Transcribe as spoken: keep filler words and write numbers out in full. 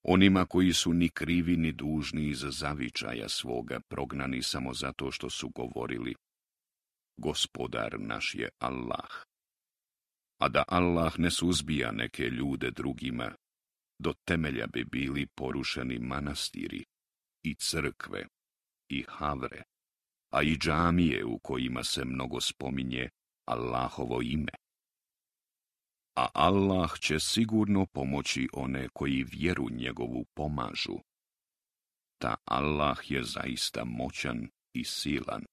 onima koji su ni krivi ni dužni iz zavičaja svoga, prognani samo zato što su govorili: Gospodar naš je Allah. A da Allah ne suzbija neke ljude drugima, do temelja bi bili porušeni manastiri i crkve i havre, a i džamije u kojima se mnogo spominje Allahovo ime. A Allah će sigurno pomoći one koji vjeru njegovu pomažu. Ta Allah je zaista moćan i silan.